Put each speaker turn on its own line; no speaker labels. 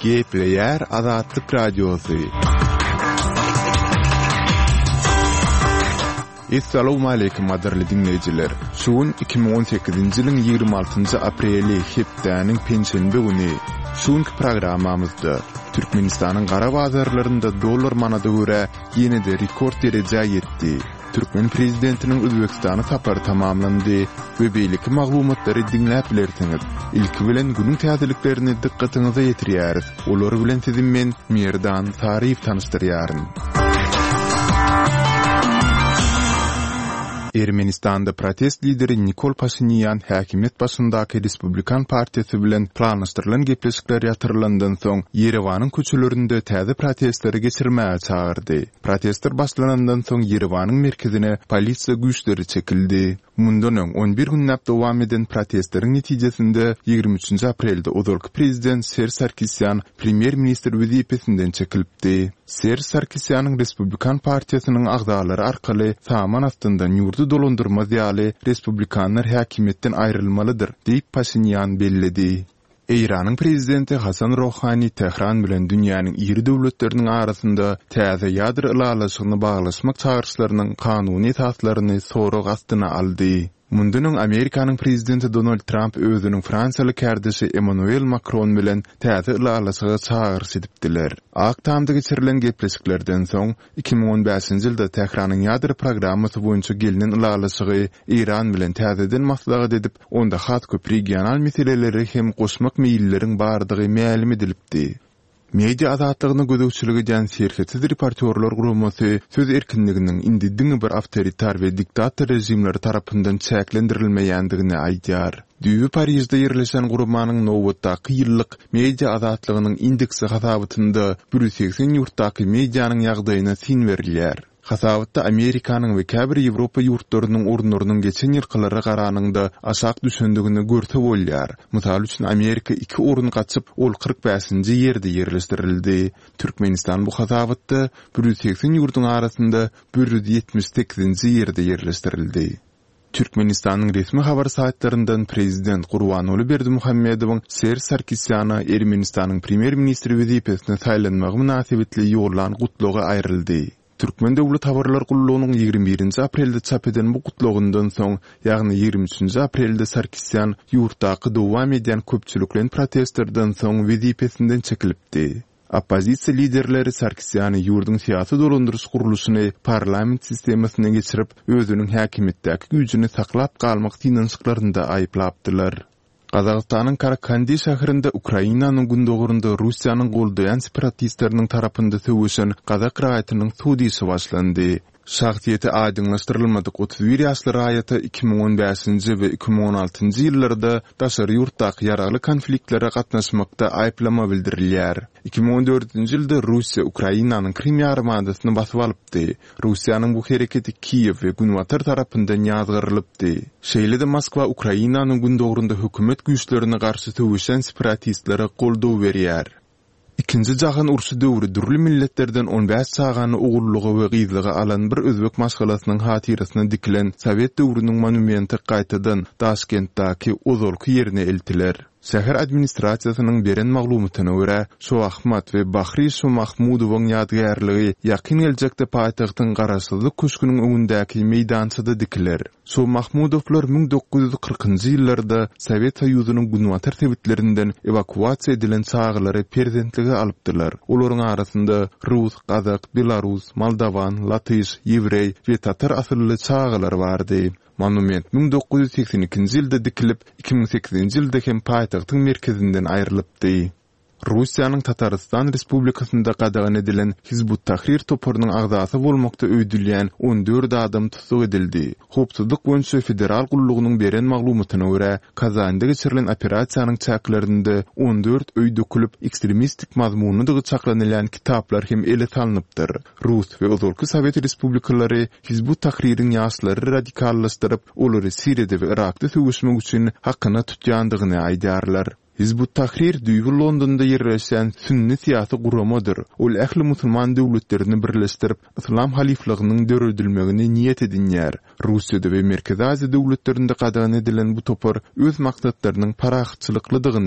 Gepleýär Azatlyk Radiosy. Essalawmaleýkim gadyrly diňleýjiler! Şu gün 2018-nji ýylyň 26-njy apreli, hepdäniň penşenbe güni. Şu günki programmamyzda, Türkmenistanyň gara bazarlarynda dollar manada görä ýene-de rekord derejä ýetdi. Türkmen prezidentiniň Özbegistana sapary tamamlandy we beýleki maglumatlary diňläp bilersiňiz. Ilki bilen günüň täzeliklerini dykgatyňyza ýetirýäris. Olar bilen sizi men, Merdan Saryýew tanyşdyrýaryn. Ermenistanda protest lideri Nikol Paşinýan häkimiýet başyndaky Respublikan partiýasy bilen planlaşdyrylan gepleşikler ýatyrylandan soň, Ýerewanyň köçelerinde täze protestleri geçirmäge çagyrdy. Protestler başlanandan soň Ýerewanyň merkezine polisiýa güýçleri çekildi. Mundan öň, on bir günläp dowam eden protestleriň netijesinde ýigrimi üçünji aprelde ozalky prezident Serž Sarkisýan premýer-ministr wezipesinden çekilipdi. Serž Sarkisýanyň Respublikan partiýasynyň agzalary arkaly saman astyndan ýurdy dolandyrmaz ýaly respublikanlar häkimiýetden aýrylmalydyr diýip Paşinýan belledi. Eýranyň prezidenti Hasan Rohani Tähran bilen dünýäniň iri döwletleriniň arasynda täze ýadro ylalaşygyny baglaşmak çagyryşlarynyň kanuny esaslaryny sorag astyna aldy. Mundan öň Amerikanyň prezidenti Donald Tramp özüniň fransiýaly kärdeşi Emmanuel Makron bilen täze ylalaşyga çagyryş edipdiler. Ak Tamda geçirilen gepleşiklerden soň, 2015-nji ýylda Tähranyň ýadro programmasy boýunça gelnen ylalaşygy Eýran bilen täzeden maslahat edip, onda has köp regional meseleleri hem goşmak meýilleriň bardygy mälim edilipdi. Media azatlygyna gözegçilik edýän Serhetsiz reportýorlar guramasy söz erkinliginiň indi diňe bir awtoritar we diktator režimleri tarapyndan çäklendirilmeýändigini aýdýar. Düýbi Parižde ýerleşen guramanyň nobatdaky ýyllyk Media azatlygynyň indeksi hasabatynda 180 ýurtdaky medianyň ýagdaýyna syn berilýär. Hasabatda Amerikanyň we käbir Ýewropa ýurtlarynyň orunlarynyň geçen ýylkylara garanyňda aşak düşendigini görse bolýar. Mysal üçin, Amerika iki orun gaçyp, ol 45-nji ýerde ýerleşdirildi. Türkmenistan bu hasabatda 180 ýurduň arasynda 178-nji ýerde ýerleşdirildi. Türkmenistanyň resmi habar saýtlaryndan prezident Gurbanguly Berdimuhamedowyň Serž Sarkisýana Ermenistanyň premýer-ministri wezipesine saýlanmagy mynasybetli ýollan gutlagy aýryldy. Türkmen döwlet habarlar gullugynyň 21 nji aprelde çap eden bu gutlagyndan soň, ýagny 23 nji aprelde Sarkisýan ýurtdaky dowam edýän köpçülikleýin protestlerden soň wezipesinden çekilipdi. Oppozisiýa liderleri Sarkisýany ýurduň syýasy dolandyryş gurluşyny parlament sistemasyna geçirip, özüniň häkimiýetdäki güýjüni saklap galmak synanyşyklarynda aýyplapdylar. Gazagystanyň Karakandi şäherinde Ukrainanyň gündogarynda Russiýanyň goldaýan separatistleriniň tarapynda söweşen gazak raýatynyň sud işi başlandy. Şahsyýeti aýdyňlaşdyrylmadyk 31 ýaşly raýata 2015-nji we 2016-njy ýyllarda daşary ýurtdaky ýaragly konfliktlere gatnaşmakda aýyplama bildirilýär. 2014-nji ýylda Russiýa Ukrainanyň Krym ýarymadasyny basyp alypdy. Russiýanyň bu hereketi Kiýew we Günbatar tarapyndan ýazgarylypdy. Şeýle-de Moskwa Ukrainanyň gündogarynda hökümet güýçlerine garşy söweşýän separatistlere goldaw berýär. Ikinji jahan urşy döwri dürli milletlerden on bäş çagany ogullyga we gyzlyga alan bir özbek maşgalasynyň hatyrasyna dikilen sowet döwrüniň monumenti gaýtadan Daşkentdäki ozalky ýerine eltiler. Şäher administrasiýasynyň beren maglumatyna görä, Şoahmat we Bahri Şomahmudowyň ýadygärligi ýakyn geljekde paýtagtyň Garaşsyzlyk köşgüniň öňündäki meýdançada dikiler. Şomahmudowlar 1940-njy ýyllarda Sowet Soýuzynyň günbatar sebitlerinden ewakuasiýa edilen çagalary perzentlige alypdylar. Olaryň arasynda rus, gazak, belarus, moldowan, latyş, ýewreý we tatar asylly çagalar bardy. Monument 1982-nji ýylda dikilip, 2008-nji ýylda hem paýtagtyň merkezinden aýrylypdy. Russiýanyň Tatarystan Respublikasynda gadagan edilen Hizb ut-Tahrir toparynyň agzasy bolmakda öýdülýän 14 adam tussag edildi. Howpsuzlyk boýunça federal gullugynyň beren maglumatyna görä, Kazanda geçirilen operasiýanyň çäklerinde 14 öý dökülip, ekstremistik mazmunlydygy çaklanylýan kitaplar hem ele salnypdyr. Rus we ozalky sowet respublikalary Hizb ut-Tahririň ýaşlary radikallaşdyryp, olary Siriýada we Yrakda söweşmek üçin hakyna tutýandygyny aýdýarlar. Hizb ut-Tahrir düýbi Londonda ýerleşýän sünni syýasy guramadyr. Ol ähli musulman döwletlerini birleşdirip, yslam halyflygynyň döredilmegini niýet edinýär. Russiýada we Merkezi Aziýa döwletlerinde gadagan edilen bu topar öz maksatlarynyň parahatçylyklydygyny.